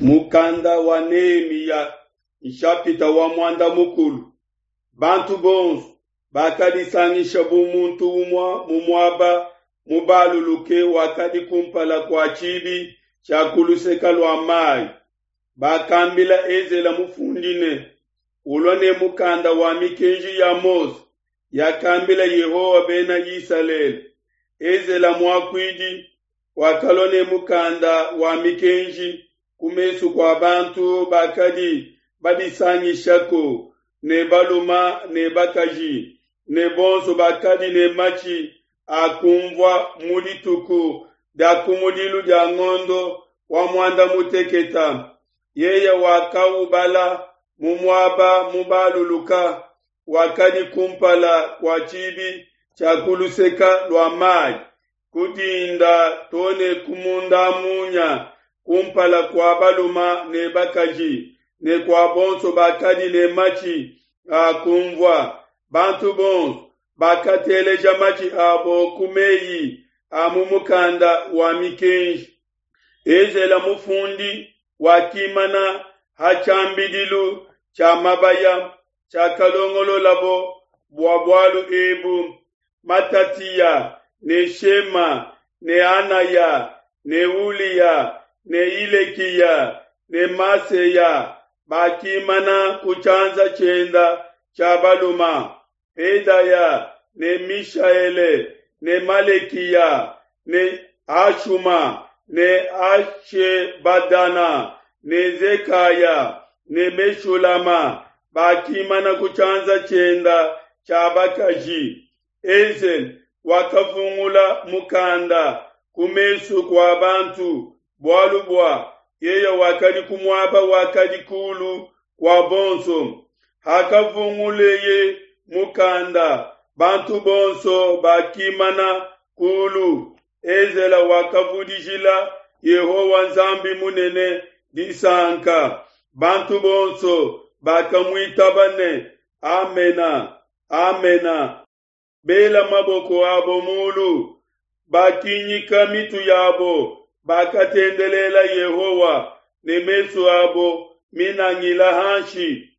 Mukanda wa Nehemiya nshapita wa muanda mukulu. Bantu bonso bakadisangisha bu muntu umue mu muaba mubaluluke wakadi kumpala kua tshibi tshia ku luseke lua mayi. Bakambila Ezela mufundi ne, Ulua ne mukanda wa mikenji ya Mose yakambila Yehowa bena Isalele. Ezela muakuidi wakalua ne mukanda wa mikenji ku mesu kua bantu bakadi badisangishako ne baluma ne bakaji ne bonso bakadi ne matshi a kumvua mu dituku dia kumudilu dia ngondo wa muanda muteketa. Yeye wakaubala mu muaba mubaluluka wakadi kumpala kua tshibi tshia ku luseka lua mayi ku dinda to ne ku munda-munya kumpala kua baluma ne bakaji ne kua bonso bakadi ne matshi a kumvua. Bantu bonso bakateleja matshi abo ku meyi a mu mukanda wa mikenji. Ezela mufundi wakimana ha tshiambidilu tshia mabaya tshiakalongololabo bua bualu ebu. Matatiya ne Shema ne Anaya ne Uliya ne Hilekiya ne Maseya bakimana ku tshianza tshienda tshia baluma, Pedaya ne Mishaele ne Malekiya ne Hashuma ne Hashebadana ne Zekaya ne Meshulama bakimana ku tshianza tshienda tshia bakaji. Ezela wakavungula mukanda ku mesu kua bantu, bualu bua yeye wakadi ku muaba wakadi kulu kua bonso. Hakavunguleye mukanda, bantu bonso bakimana kulu. Ezela wakavudijila Yehowa Nzambi munene disanka. Bantu bonso bakamuitaba ne, Amena, Amena. Bela maboko abo mulu, bakinyika mitu yabo, bakatendelela Yehowa ne mesu abo minangila hanshi.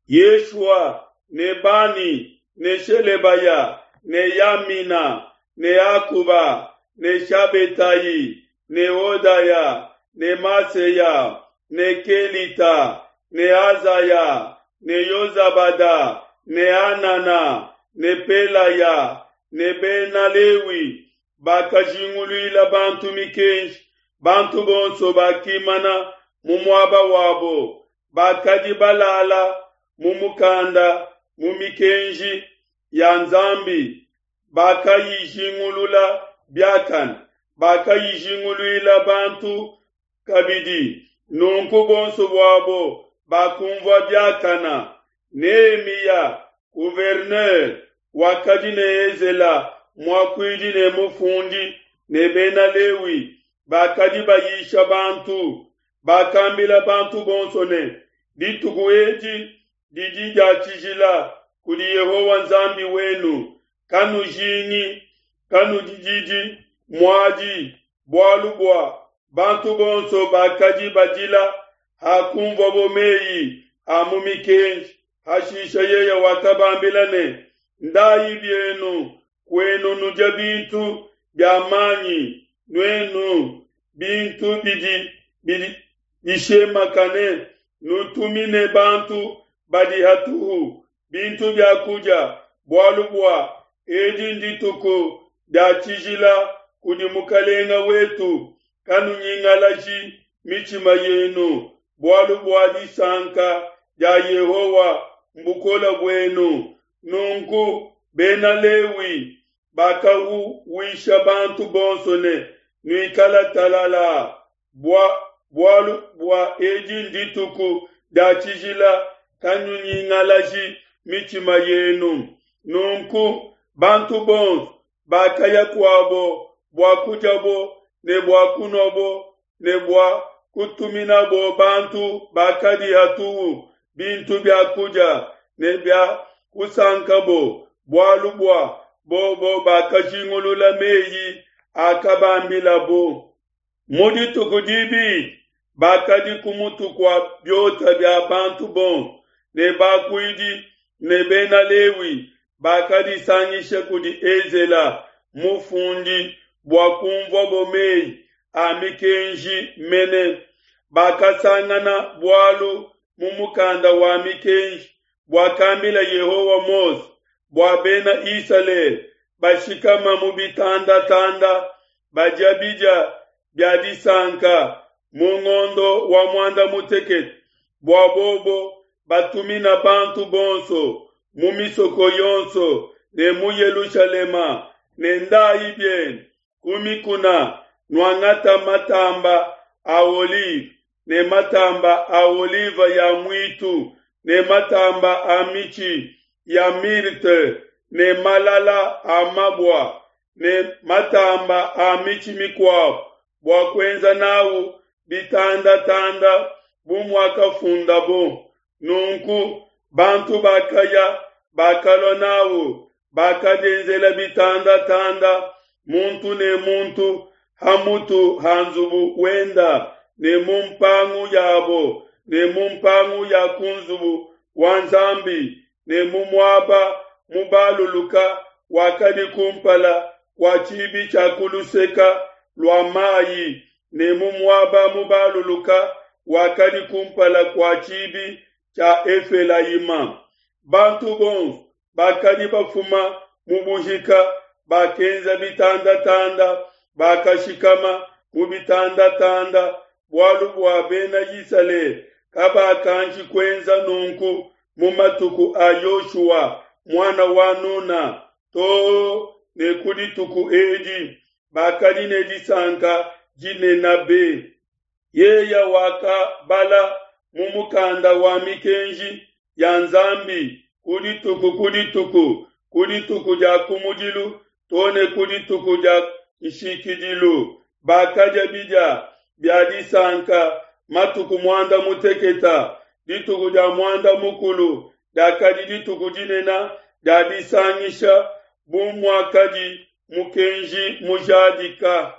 Yeshua ne Bani ne Shelebaya ne Yamina ne Akuba ne Shabetai ne Hodaya ne Maseya ne Kelita ne Azaya ne Yozabada ne Anana ne Pelaya ne Bena Lewi bakajinguluila bantu mikenji. Bantu bonso bakimana mu muaba wabo, bakadi balala mu mukanda mu mikenji ya Nzambi, bakayijingulula biakane, bakayijinguluila bantu kabidi. Nunku bonso buabo bakumvua biakana. Nehemiya gouverneur wakadi ne Ezela muakuidi ne mufundi ne Bena Lewi bakadi bayisha bantu, bakambila bantu bonso ne, Dituku edi didi dia tshijila kudi Yehowa Nzambi wenu, kanujingi, kanudididi muadi, bualu bua bantu bonso bakadi badila hakunvuabo meyi a mu mikenji. Hashishe yeye wakabambila ne, Ndayi bienu kuenu nudia bintu bia manyi, nuenu bintu bidi bishemakane, nutumine bantu badi hatuhu bintu bia kudia, bualu bua edi ndituku dia tshijila kudi Mukelenge wetu. Kanunyingalaji mitshima yenu, bualu bua disanka dia Yehowa mbukole buenu. Nunku Bena Lewi bakauwisha bantu bonso ne, Nuikala talala, bua bualu bua edi ndituku dia tshijila, kanunyingalaji mitshima yenu. Nunku bantu bonso bakaya kuabo bua kudiabo ne bua kunuabo ne bua kutuminabo bantu bakadi hatuhu bintu bia kudia ne bia kusankabo, bualu bua bobo bakajingulula meyi akabambilabo. Mu dituku dibidi. bakadi ku mutu kua biota bia bantu bonso, ne bakuidi ne Bena Lewi bakadisangisha kudi Ezela mufundi bua kunvuabo mei a mikenji mene. Bakasangana bualu mu mukanda wa mikenji buakambila Yehowa Mose bua Bena Isalele bashikama mu bitandatanda badia bidia bia disanka mu ngondo wa muanda mutekete, bua bobo batumina bantu bonso mu misoko yonso ne mu Yelushalema ne ndayi bienu ku mikuna nuangata matamba a olive ne matamba a olive ya muitu ne matamba a mitshi ya myrte ne malala a mabua ne matamba a mitshi mikuabo bua kuenza nawu bitandatanda bu muakafundabo. Nunku bantu bakaya bakalua nawu, bakadienzela bitandatanda muntu ne muntu ha mutu ha nzubu wenda ne mu mpangu yabo ne mu mpangu ya ku nzubu wa Nzambi ne mu muaba mubaluluka wakadi kumpala kua tshibi tshia ku luseka lua mayi ne mu muaba mubaluluka wakadi kumpala kua tshibi tshia Efelayima. Bantu bonso bakadi bafuma mu buhika bakenza bitandatanda, bakashikama mu bitandatanda, bualu bua Bena Isalele kabakanji kuenza nunku mu matuku a Yoshua muana wa Nuna too ne ku dituku edi. Bakadi ne disanka dinene be. Yeye wakabala mu mukanda wa mikenji ya Nzambi ku dituku ku dituku, ku dituku dia kumudilu too ne ku dituku dia nshikidilu. Bakadia bidia bia disanka matuku muanda muteketa. Dituku dia muanda mukulu diakadi dituku dinene dia disangisha bu muakadi mukenji mujadika.